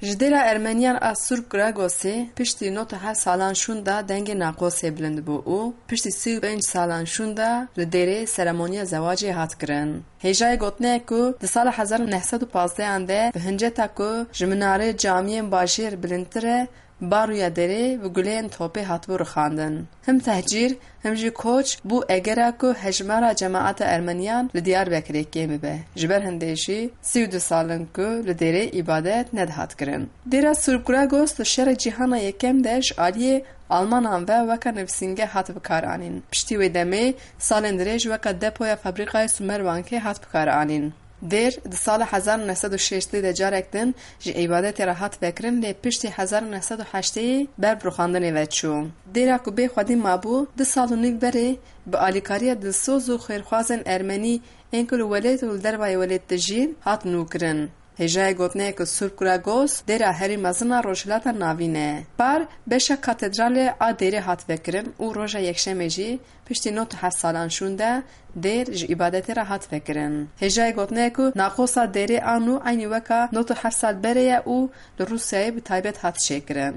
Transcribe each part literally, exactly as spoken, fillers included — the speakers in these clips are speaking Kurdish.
Ji dêra Ermeniyan a Surp Gragosê piştî nod û heft salan şûnda dengê naqosê bilind bû û piştî sî û pênc salan şûnda li dêrê seremoniya zewacê hat kirin. Hêjayê gotinê ye ku di sala hezar û neh sed û pazdehan de bi hinceta ku ji minarê camiyên bajêr bilindtir e, baroya dêrê bi guleyên topê hatibû rixandin. Him tehcîr, him jî koç bû egera ku hejmara cemaeta Ermeniyan li Diyarbekirê kêm bibe. Ji ber hindê jî sî û du sal in ku li dêrê îbadet nedihat kirin. Dêra Surp Gragos di Şerê Cîhana Yekem de ji aliyê Almanan ve weke nivîsînge hat bikaranîn. Piştî wê demê salên dirêj weke depoya fabrîkayê Sumerbankê hat bikaranîn. Dêr di sala hezar û neh sed û şêstê de carek din ji îbadetê re hat vekirin, lê piştî hezar û neh sed û heştê ber bi rûxandinê ve çû. Dêra ku bê xwedî mabû, du sal û nîv berê bi alîkariya dilsoz û xêrxwazên Ermenî ên ku li welêt û li dervayê welêt dijîn, hat nûkirin. Hêjayê gotinê ye ku Surp Gragos dêra herî mezin a Rojhilata Navîn e. Par beşa katedralê a dêrê hat vekirin û roja Yekşemê jî piştî nod û heft salan şûnde dêr ji îbadetê re hat vekirin. Hêjayê gotinê ye ku naqosa dêrê a nû eynî weka nod û heft sal berê ye û li Rûsyayê bi taybet hat çêkirin.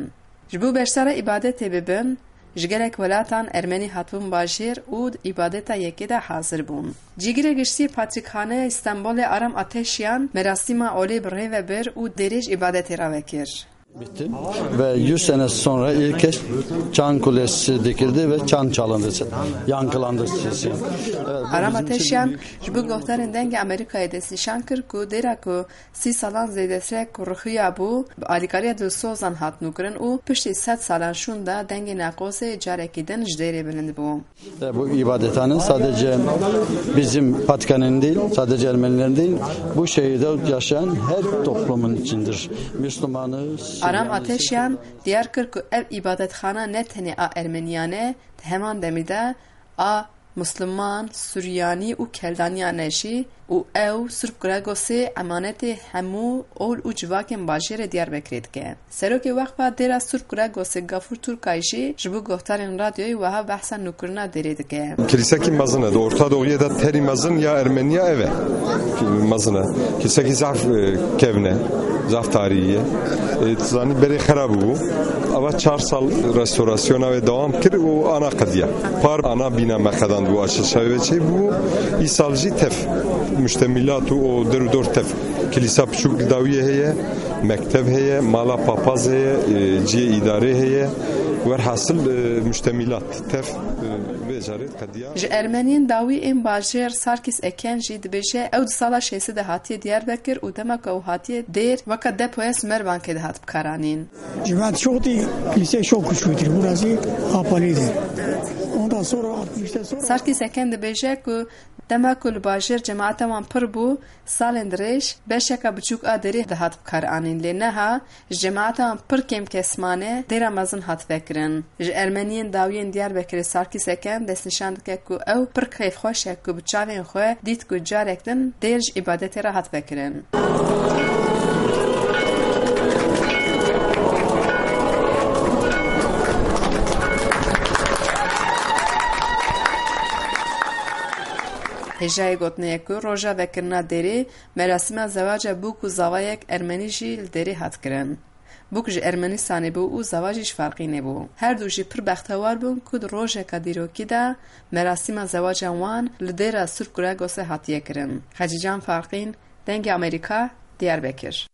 Ji bo beşdara îbadetê bibin, ji gelek welatan Ermenî hatibûn bajêr û di îbadeta yekê de hazir bûn. Cîgirê giştî Patrîkxaneya Stenbolê Aram Ateşyan merasîma olê bi rê ve bir û dêrê ji îbadetê re vekir. Bitti. Ve yüz sene sonra ilk kez çan kulesi dikildi ve çan çalındı, yankılandı sesi. Evet, bu Aram bizim için Ateşyan büyük ji bo guhdarên Dengê Amerîkayê destnîşan kir ku dêra ku sî salan zêdetir e ku ruhiya bû, bi alîkariya dilsozan hat nûkirin û piştî sed salan şûnda dengê naqosê carekî din ji dêrê bilind bû. E, bu ibadethane sadece bizim Patrikhanenin değil, sadece Ermenilerin değil, bu şehirde yaşayan her toplumun içindir. Müslümanı, Aram Süryanı, Ateşyan diyar kir ku ev îbadetxana ne tenê a Ermeniyan e, di heman demî de a Musliman, Suryanî û Keldaniyan e jî û ew Surp Gregosê emanetê hemû ol û civakên bajêrê Diyarbekirê dike. Serokê Weqfa Dêra Surp Gregosê Gafûr Turkay jî ji bo guhdarên radyoyê wiha behsa nûkirina dêrê dike. Kilisekî mezin e. Di Orta Doğuya de terî mezin ya Ermeniya ev e. Mezin e. Kilisekî zaf, e, kevn e. Zaf tarîhî ye. E, tu zanî berê xera bûbû. Ava çar sal restorasyona wê dewam kir û ana qediya. Par ana bîna me qedandibû, açilişa wê çêbû. Îsal jî tev. Muştemîlat û o der û dor tev. Kilîsa piçûk li dawiyê heye, mektev heye, mala papaz heye, e, cihê îdarê heye. Werhasil, e, muştemîlat tev, e, vê carê qediya. Ji Ermeniyên dawî ên bajêr Sarkîs Eken jî dibêje, ew di sala şêstê de hatiye Diyarbekir û dema ku ew hatiye dêr weke depoya Sümerbankê dihat bikaranîn. Cemaat çok değil, kilise çok küçüktür. Burası kapalıydı. Ondan sonra altmıştan sonra Sarkîs Eken dibêje ku dema ku li bajêr cemaeta wan pir bû, salên dirêj beşeka biçûk a dêrê dihat bikaranîn, lê niha ji cemaeta wan pir kêm kes mane, dêra mezin hat vekirin. Ji Ermeniyên dawiyên Diyarbekirê Sarkîs Eken destnîşan dike ku ew pir kêfxweş e ku bi çavên xwe dît ku carek din dêr ji îbadetê re hat vekirin. Hêjayê gotinê ye ku roja vekirina dêrê merasîma zewaca bûk û zavayek Ermenî jî li dêrê hat kirin. Bûk ji Ermenistanê bû û zava jî ji Farqînê bû. Her du jî pir bextewar bûn ku di rojeka dîrokî de merasîma zewaca wan li dêra Surp Guragosê hatiye kirin. Xecîcan Farqîn, Dengê Amerîka, Diyarbekir.